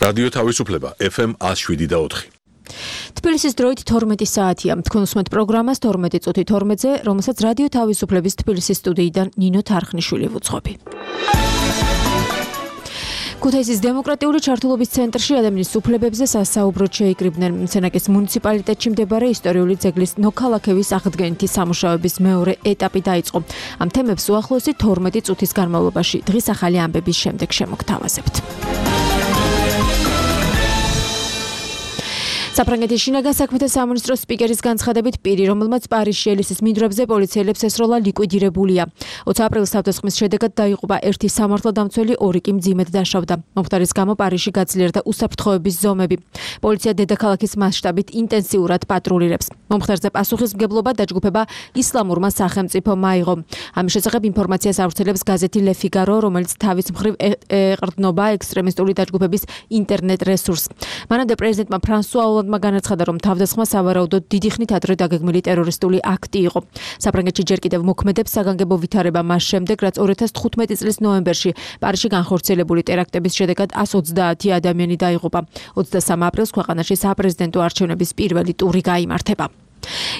რადიო თავისუფლება FM 107.4. თბილისის დროით 12 საათია. თქვენ უსმენთ პროგრამას 12 წუთი 12-ზე, რომელსაც რადიო თავისუფლების თბილისის სტუდიიდან ნინო თარხნიშვილი ვუძღვები. ქუთაისის დემოკრატიული ჩართულობის ცენტრში ადამიანის უფლებებზე სასაუბროდ შეიკრიბნენ. სენაკის მუნიციპალიტეტში მდებარე ისტორიული ძეგლის ნოქალაქევის აღდგენითი სამუშაოების მეორე ეტაპი დაიწყო. ამ თემებს უახლოესი 12 წუთის განმავლობაში დღის ახალი ამბების შემდეგ შემოგთავაზებთ. საფრანგეთის შინაგან საქმეთა სამინისტროს სპიკერის განცხადებით პირი, რომელმაც პარიზში ელისის მინდვრებზე პოლიციელებს ესროლა, ლიკვიდირებულია. 20 აპრილის თავდასხმის შედეგად დაიღუპა ერთი სამართალდამცველი, ორი კი მძიმედ დაშავდა. მომხდარის გამო პარიზში გაძლიერდა უსაფრთხოების ზომები. პოლიცია დედაქალაქის მასშტაბით ინტენსიურად პატრულირებს. მომხდარზე პასუხისმგებლობა დაჯგუფება ისლამურმა სახელმწიფომ აიღო. ამის შესახებ ინფორმაციას ავრცელებს გაზეთი Le Figaro, რომელიც თავის მხრივ ეყრდნობა ექსტრემისტული დაჯგუფების ინტერნეტ რესურსს. მანამდე პრეზიდენტმა ფრანსუა ოლანდმა განაცხადა, რომ თავდასხმა სავარაუდოდ დიდი ხნით ადრე დაგეგმილი ტერორისტული აქტი იყო. საფრანგეთში ჯერ კიდევ მოქმედებს საგანგებო ვითარება მას შემდეგ, რაც 2015 წლის ნოემბერში პარიზში განხორციელებული ტერაქტების შედეგად 130 ადამიანი დაიღუპა. 23 აპრილს ქვეყანაში საპრეზიდენტო არჩევნების პირველი ტური გაიმართება.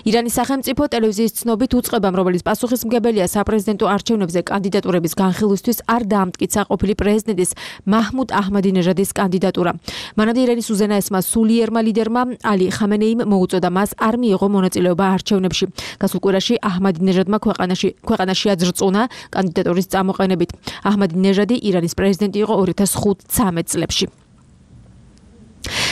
ირანის სახელმწიფო ტელევიზიის ცნობით უწყებამ, რომელიც პასუხისმგებელია საპრეზიდენტო არჩევნებზე კანდიდატურების განხილვისთვის, არ დაამტკიცა ყოფილი პრეზიდენტის მაჰმუდ აჰმადინეჟადის კანდიდატურა. მანამდე ირანის უზენაესმა სულიერმა ლიდერმა ალი ხამენეიმ მოუწოდა მას არ მიიღო მონაწილეობა არჩევნებში. გასულ კვირაში აჰმადინეჟადმა ქვეყანაში აძრწუნა კანდიდატურის წამოყენებით. აჰმადინეჟადი ირანის პრეზიდენტი იყო 2015 წლებში.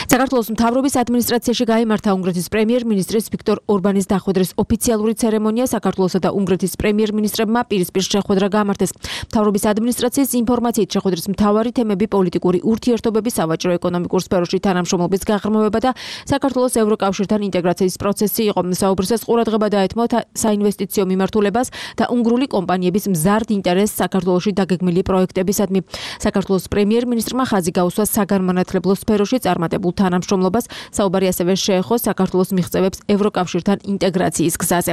საქართველოს მთავრობის ადმინისტრაციაში გაიმართა უნგრეთის პრემიერ-მინისტრის ვიქტორ ორბანის დახვედრის ოფიციალური ცერემონია. საქართველოსა და უნგრეთის პრემიერ-მინისტრებმა პირისპირ შეხვედრა გამართეს. მთავრობის ადმინისტრაციის ინფორმაციით შეხვედრის მთავარი თემები პოლიტიკური ურთიერთობები, სავაჭრო-ეკონომიკურ სფეროში თანამშრომლობის გაღრმავება და საქართველოს ევროკავშირთან ინტეგრაციის პროცესი იყო. საუბრისას ყურადღება დაეთმო საინვესტიციო მიმართულებას და უნგრული კომპანიების მზარდ ინტერესს საქართველოში დაგეგმილი პროექტებისადმი. საქართველოს პრემიერ-მინისტრმა ხაზი გაუსვა საგანმანათლებლო სფეროში წარმატებულ თანამშრომლობას. საუბარი ასევე შეეხო საქართველოს მიღწევებს ევროკავშირთან ინტეგრაციის გზაზე.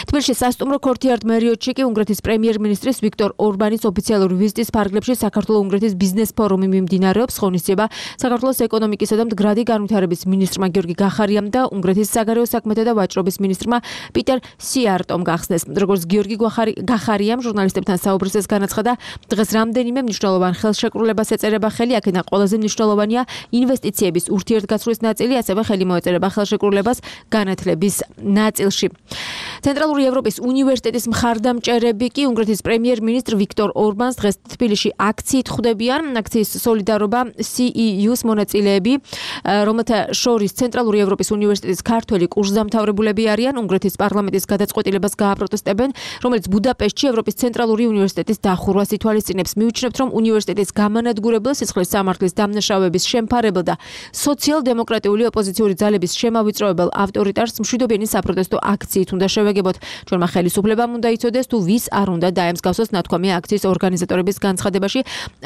თბილისში სასტუმრო ქორთიარდ მერიოტში კი უნგრეთის პრემიერ-მინისტრის ვიქტორ ორბანის ოფიციალური ვიზიტის ფარგლებში საქართველო-უნგრეთის ბიზნეს ფორუმი მიმდინარეობს. ღონისძიება საქართველოს ეკონომიკისა და მდგრადი განვითარების მინისტრმა გიორგი გახარიამ და უნგრეთის საგარეო საქმეთა და ვაჭრობის მინისტრმა პიტერ სიარტომ გახსნეს. როგორც გიორგი გახარიამ ჟურნალისტებთან საუბრისას განაცხადა, დღეს რამდენიმე მნიშვნელოვან ხელშეკრულებას ეწერება ხელი, აქედან ყველაზე მნიშვნელოვანია ინვესტიციების ურთიერთგაცვლის ნაწილი, ასევე ხელი მოეწერება ხელშეკრულებას განათლების ნაწილში. ცენტრალური ევროპის უნივერსიტეტის მხარდამჭერები კი უნგრეთის პრემიერ-მინისტრ ვიქტორ ორბანს დღეს თბილისში აქციით ხვდებიან. აქციის სოლიდარობა CEU-ს მონაწილეები, რომელთა შორის ცენტრალური ევროპის უნივერსიტეტის ქართველი კურსდამთავრებულები არიან, უნგრეთის პარლამენტის გადაწყვეტილებას გააპროტესტებენ, რომელიც ბუდაპეშტში ევროპის ცენტრალური უნივერსიტეტის დახურვას ითვალისწინებს. მივიჩნევთ, რომ უნივერსიტეტის გამანადგურებელ სისხლის სამართლის დამნაშავების შემფარებელ და სოციალ-დემოკრატიული ოპოზიციური ძალების შემავიწროებელ ავტორიტარს მშვიდობიანი საპროტესტო აქციით უნდა შევეგებოთ. ჩვენმა ხელისუფლებამ უნდა იცოდეს, თუ ვის არ უნდა დაემსგავსოს ნათქვამია აქციის ორგანიზატორების განცხადებაში.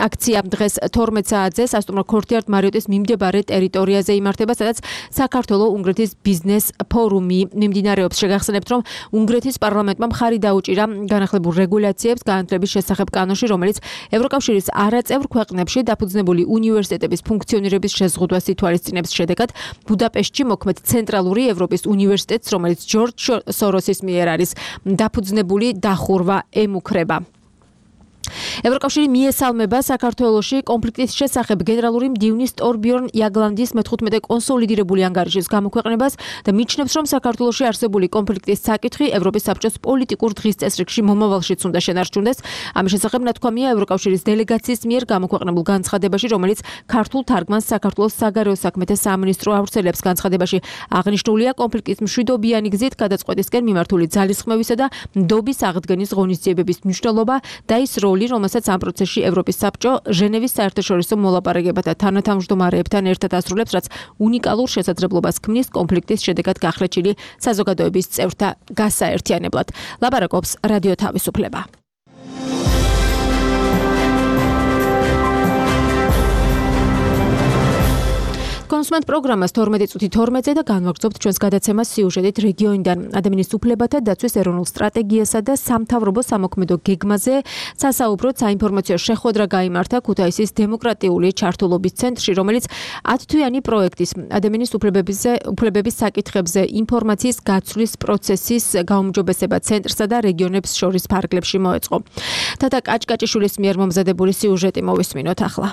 აქცია დღეს 12 საათზე სასტუმრო ქორთიარდ მარიოტის მიმდებარე ტერიტორიაზე იმართება, სადაც საქართველო-უნგრეთის ბიზნეს ფორუმი მიმდინარეობს. შეგახსენებთ, რომ უნგრეთის პარლამენტმა მხარი დაუჭირა განახლებულ რეგულაციებს განათლების შესახებ კანონში, რომელიც ევროკავშირის არაწევრ ქვეყნებში დაფუძნებული უნივერსიტეტების ფუნქციონირების შეზღუდვას ითვალისწინებს. შედეგად ბუდაპეშტში მოქმედ ცენტრალური ევროპის უნივერსიტეტს, რომელიც ჯორჯ სოროსის მიერ არის დაფუძნებული, დახურვა ემუქრება. ევროკავშირი მიესალმება საქართველოში კონფლიქტის შესახებ გენერალური მდივნის ტორბიორნ იაგლანდის მე-15 კონსოლიდირებული ანგარიშის გამოქვეყნებას და მიჩნევს, რომ საქართველოში არსებული კონფლიქტის საკითხი ევროპის საბჭოს პოლიტიკურ დღის წესრიგში მომავალშიც უნდა შენარჩუნდეს. ამის შესახებ ნათქვამია ევროკავშირის დელეგაციის მიერ გამოქვეყნებულ განცხადებაში, რომელიც ქართულ თარგმანს საქართველოს საგარეო საქმეთა სამინისტრო ავრცელებს. განცხადებაში აღნიშნულია კონფლიქტის მშვიდობიანი გზით გადაწყვეტისკენ მიმართული ძალისხმევისა და ნდობის აღდგენის ღონისძიებების მნიშვნელობა და ის როლი, რომელსაც ამ პროცესში ევროპის საბჭო ჟენევის საერთაშორისო მოლაპარაკებათა თანათავმჯდომარეებთან ერთად ასრულებს, რაც უნიკალურ შესაძლებლობას ქმნის კონფლიქტის შედეგად გახლეჩილი საზოგადოების წევრთა გასაერთიანებლად. ლაპარაკობს რადიო თავისუფლება. დავუსმენთ პროგრამას 12:12 და განვაგრძობთ ჩვენს გადაცემას სიუჟეტით რეგიონიდან. ადამიანის უფლებათა დაცვის ეროვნულ სტრატეგიასა და სამთავრობო სამოქმედო გეგმაზე სასაუბროდ საინფორმაციო შეხვედრა გაიმართა ქუთაისის დემოკრატიული ჩართულობის ცენტრში, რომელიც 10-თვიანი პროექტის ადამიანის უფლებების საკითხებზე ინფორმაციის გაცვლის პროცესის გაუმჯობესება ცენტრსა და რეგიონებს შორის ფარგლებში მოეწყო. თათა კაჭკაჭიშვილის მიერ მომზადებული სიუჟეტი მოვისმინოთ ახლა.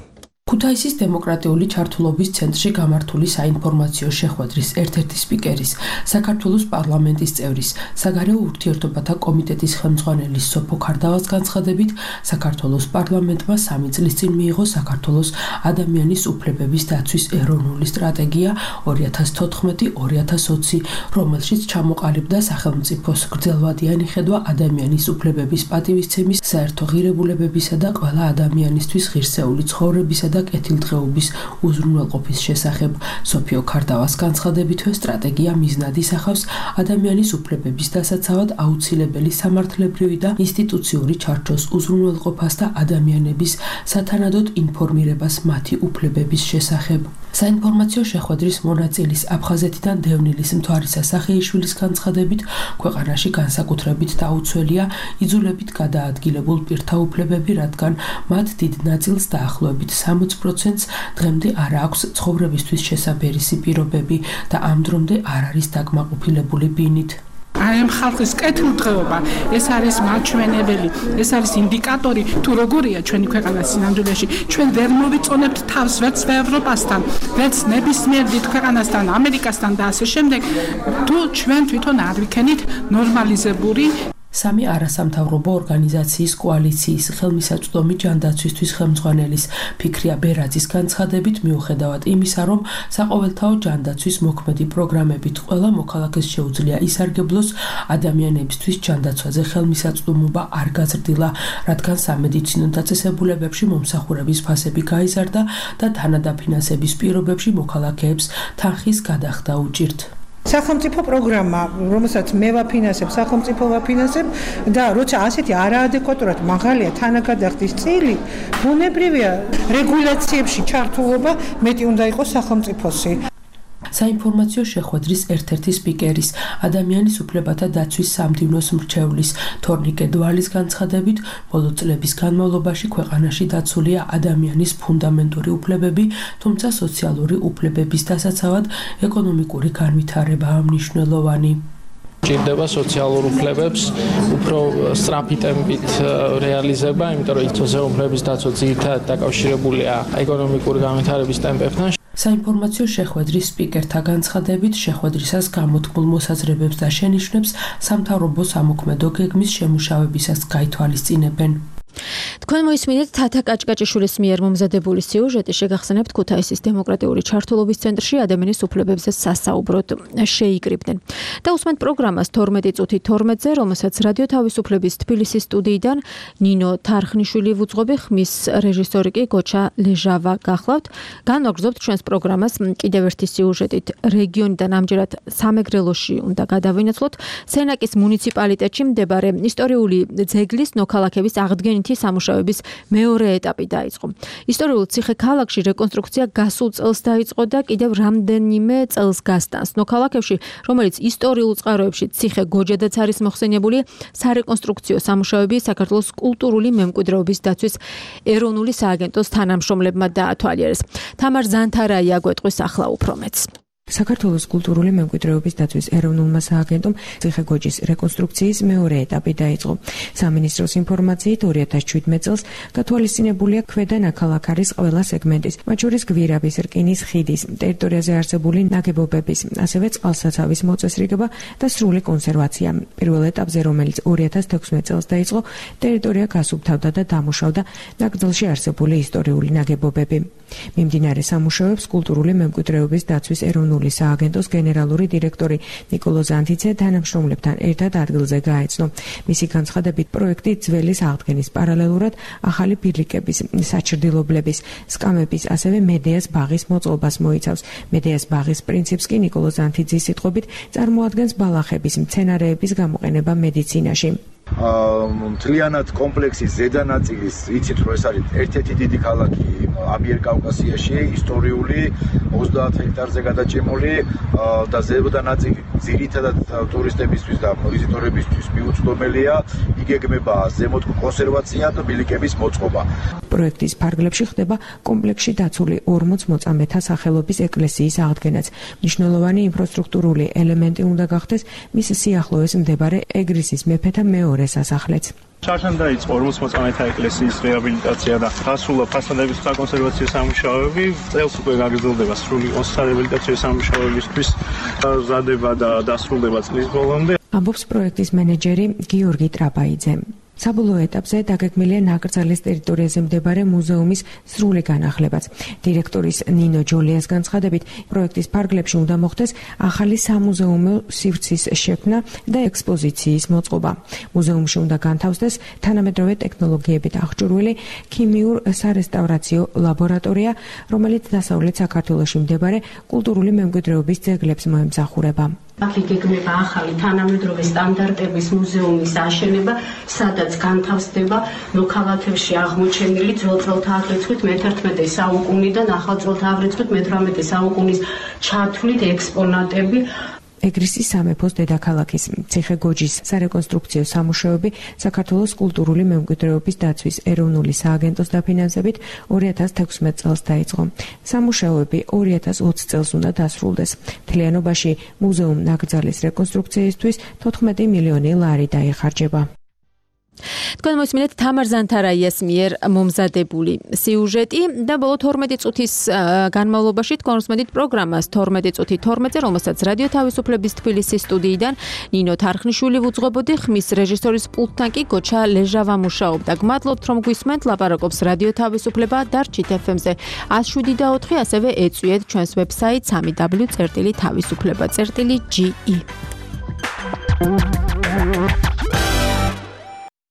ქუთაისის დემოკრატიული ჩართულობის ცენტრში გამართული საინფორმაციო შეხვედრის ერთ-ერთი სპიკერის, საქართველოს პარლამენტის წევრის, საგარეო ურთიერთობათა კომიტეტის ხელმძღვანელის სოფო ქარდავას განცხადებით, საქართველოს პარლამენტმა 3 წლის წინ მიიღო საქართველოს ადამიანის უფლებების დაცვის ეროვნული სტრატეგია 2014-2020, რომელშიც ჩამოყალიბდა სახელმწიფოს გრძელვადიანი ხედვა ადამიანის უფლებების პატივისცემის, საერთო ღირებულებებისა და ყველა ადამიანისთვის ღირსეული ცხოვრებისა და კეთილდღეობის უზრუნველყოფის შესახებ. სოფიო ქარდავას განცხადებითვე სტრატეგია მიზნად ისახავს ადამიანის უფლებების დასაცავად აუცილებელი სამართლებრივი და ინსტიტუციური ჩარჩოს უზრუნველყოფას და ადამიანების სათანადოდ ინფორმირებას მათი უფლებების შესახებ. საინფორმაციო შეხვედრის მონაწილის აფხაზეთიდან დევნილის მთვარისა სახეიშვილის განცხადებით, ქვეყანაში განსაკუთრებით დაუცველია იძულებით გადაადგილებულ პირთა უფლებები, რადგან მათ დიდ ნაწილს დაახლოებით 60%-ს დღემდე არ აქვს ცხოვრებისთვის შესაბერისი პირობები და ამ დრომდე არ არის დაკმაყოფილებული ბინით. ამ ხალხის კეთილდღეობა, ეს არის მაჩვენებელი, ეს არის ინდიკატორი, თუ როგორია ჩვენი ქვეყანა სინამდვილეში. ჩვენ ვერ მოვიწონებთ თავს ვერც ევროპასთან, ვერც ნებისმიერ დიდ ქვეყანასთან, ამერიკასთან და ასე შემდეგ, თუ ჩვენ თვითონ არ ვიქენით ნორმალიზებული. სამი არასამთავრობო ორგანიზაციის კოალიციის ხელმისაწვდომი ჯანდაცვისთვის ხელმძღვანელის ფიქრია ბერაძის განცხადებით, მიუხედავად იმისა, რომ საყოველთაო ჯანდაცვის მოქმედი პროგრამებით ყველა მოქალაქეს შეუძლია ისარგებლოს, ადამიანებისთვის ჯანდაცვაზე ხელმისაწვდომობა არ გაზრდილა, რადგან სამედიცინო დაწესებულებებში მომსახურების ფასები გაიზარდა და თანადაფინანსების პირობებში მოქალაქეებს თანხის გადახდა უჭირთ. სახელმწიფო პროგრამა, რომელსაც მე ვაფინანსებ, სახელმწიფო ვაფინანსებ და როცა ასეთი არაადეკვატურად მაღალია თანაგადახდის წილი, ბუნებრივია რეგულაციებში ჩართულობა მეტი უნდა იყოს სახელმწიფოსი. საინფორმაციო შეხვედრის ერთ-ერთი სპიკერის, ადამიანის უფლებათა დაცვის სამდივნოს მრჩევლის თორნიკე დვალის განცხადებით, ბოლო წლების განმავლობაში ქვეყანაში დაცულია ადამიანის ფუნდამენტური უფლებები, თუმცა სოციალური უფლებების დასაცავად ეკონომიკური განვითარებაა მნიშვნელოვანი. ჭირდება სოციალურ უფლებებს უფრო სწრაფი ტემპით რეალიზება, იმიტომ რომ სოციალურ უფლებების დაცვა ძირითადად დაკავშირებულია ეკონომიკური განვითარების ტემპებთან. საინფორმაციო შეხვედრის სპიკერთა განცხადებით, შეხვედრისას გამოთქმულ მოსაზრებებს და შენიშვნებს სამთავრობო სამოქმედო გეგმის შემუშავებისას გაითვალისწინებენ. თქვენ მოისმინეთ თათა კაჭკაჭიშვილის მიერ მომზადებული სიუჟეტი, შეგახსენებთ ქუთაისის დემოკრატიული ჩართულობის ცენტრში ადამიანის უფლებებზე სასაუბროდ შეიკრიბნენ. დავუსმენთ პროგრამას 12:12-ზე, რომელსაც რადიო თავისუფლების თბილისის სტუდიიდან ნინო თარხნიშვილი ვუძღვები, ხმის რეჟისორი კი გოჩა ლეჟავა გახლავთ. განვაგრძობთ ჩვენს პროგრამას კიდევ ერთი სიუჟეტით რეგიონიდან, ამჯერად სამეგრელოში უნდა გადავინაცვლოთ. სენაკის მუნიციპალიტეტში მდებარე ისტორიული ძეგლის ნოქალაქების აღდგენითი სამუშაოების მეორე ეტაპი დაიწყო. ისტორიულ ციხე-ქალაქში რეკონსტრუქცია გასულ წელს დაიწყო და კიდევ რამდენიმე წელს გასტანს. ნოქალაქებში, რომელიც ისტორიულ წყაროებში ციხე გოჯადაც არის მოხსენიებული, სარეკონსტრუქციო სამუშაოები საქართველოს კულტურული მემკვიდრეობის დაცვის ეროვნული სააგენტოს თანამშრომლებმა დაათვალიერეს. თამარ ზანთარაია გვეტყვის ახლა უფრო მეც. საქართველოს კულტურული მემკვიდრეობის დაცვის ეროვნულმა სააგენტომ ციხე-გოჯის რეკონსტრუქციის მეორე ეტაპი დაიწყო. სამინისტროს ინფორმაციით 2017 წელს გათვალისწინებულია ქვედა ნაქალაქარის ყველა სეგმენტის, მათ შორის გვირაბის, რკინის ხიდის, ტერიტორიაზე არსებული ნაგებობების, ასევე წყალსაცავის მოწესრიგება და სრული კონსერვაცია. პირველ ეტაპზე, რომელიც 2016 წელს დაიწყო, ტერიტორია გასუფთავდა და დამუშავდა ნაკრძალში არსებული ისტორიული ნაგებობები. მიმდინარე სამუშაოებს კულტურული მემკვიდრეობის დაცვის ეროვნული სააგენტოს გენერალური დირექტორი ნიკოლო ზანთიცე თანამშრომლებთან ერთად ადგილზე გაეცნო. მისი განცხადებით, პროექტი ძველის აღდგენის პარალელურად ახალი ბილიკების, საჩრდილობლების, სკამების, ასევე მედეას ბაღის მოწყობას მოიცავს. მედეას ბაღის პრინციპს კი ნიკოლო ზანთიძის სიტყვებით წარმოადგენს ბალახების, მცენარეების გამოყენება მედიცინაში. მთლიანად კომპლექსის ზედა ნაწილის იცით რომ ეს არის ერთ-ერთი დიდი ქალაქი ამიერკავკასიაში, ისტორიული 30 ჰექტარზე გადაჭიმული და ზედა ნაწილი ძირითადად ტურისტებისთვის და ვიზიტორებისთვის მიუწვდომელია, იგეგმება ზემოთ კონსერვაცია და ბილიკების მოწყობა. პროექტის ფარგლებში ხდება კომპლექსში დაცული 40 მოწამეთა სახელობის ეკლესიის აღდგენაც. მნიშვნელოვანი ინფრასტრუქტურული ელემენტი უნდა გახდეს მის სიახლოვეს მდებარე ეგრისის მეფეთა მეორე სასახლეც. ჩართან დაიწყო 40 მოწამეთა ეკლესიის რეაბილიტაცია და დასრულდა ფასადების საკონსერვაციო სამუშაოები. წელს უკვე გაგრძელდება სრული კონსერვაციო სამუშაოებისთვის მზადება და დასრულდება წლის ბოლომდე. ამბობს პროექტის მენეჯერი გიორგი ტრაპაიძე. საბოლოო ეტაპზე დაგეგმილია ნაკრძალის ტერიტორიაზე მდებარე მუზეუმის სრული განახლებაც. დირექტორის ნინო ჯოლიას განცხადებით, პროექტის ფარგლებში უნდა მოხდეს ახალი სამუზეუმო სივრცის შექმნა და ექსპოზიციის მოწყობა. მუზეუმში უნდა განთავსდეს თანამედროვე ტექნოლოგიებით აღჭურვილი ქიმიურ სარესტავრაციო ლაბორატორია, რომელიც დასავლეთ საქართველოში მდებარე კულტურული მემკვიდრეობის ძეგლებს მოემსახურება. აქ იგეგმება ახალი თანამედროვე სტანდარტების მუზეუმის აშენება, სადაც განთავსდება მოქალაქეებში აღმოჩენილი ძველწელთა აღრიცხვით მე-11 საუკუნიდან ახალწელთა აღრიცხვით მე-18 საუკუნის ჩათვლით ექსპონატები. ეგრისის სამეფოს დედაქალაქის ციხე-გოჯის სარეკონსტრუქციო სამუშაოები საქართველოს კულტურული მემკვიდრეობის დაცვის ეროვნული სააგენტოს დაფინანსებით 2016 წელს დაიწყო. სამუშაოები 2020 წელს უნდა დასრულდეს. მთლიანობაში მუზეუმ ნაკრძალის რეკონსტრუქციისთვის 14 მილიონი ლარი დაიხარჯება. თქვენ მოსმინეთ თამარ ზანთარაიას მიერ მომზადებული სიუჟეტი და ბოლო 12 წუთის განმავლობაში თქვენ მოსმენთ პროგრამას 12 წუთი 12-ზე, რომელსაც რადიო თავისუფლების თბილისის სტუდიიდან ნინო თარხნიშვილი ვუძღვებოდი, ხმის რეჟისორის პულტთან კი გოჩა ლეჟავა მუშაობდა. გმადლობთ რომ გვისმენთ, ლაპარაკობს რადიო თავისუფლება დარჩით FM-ზე 107.4, ასევე ეწვიეთ ჩვენს ვებსაიტს www.თავისუფლება.ge.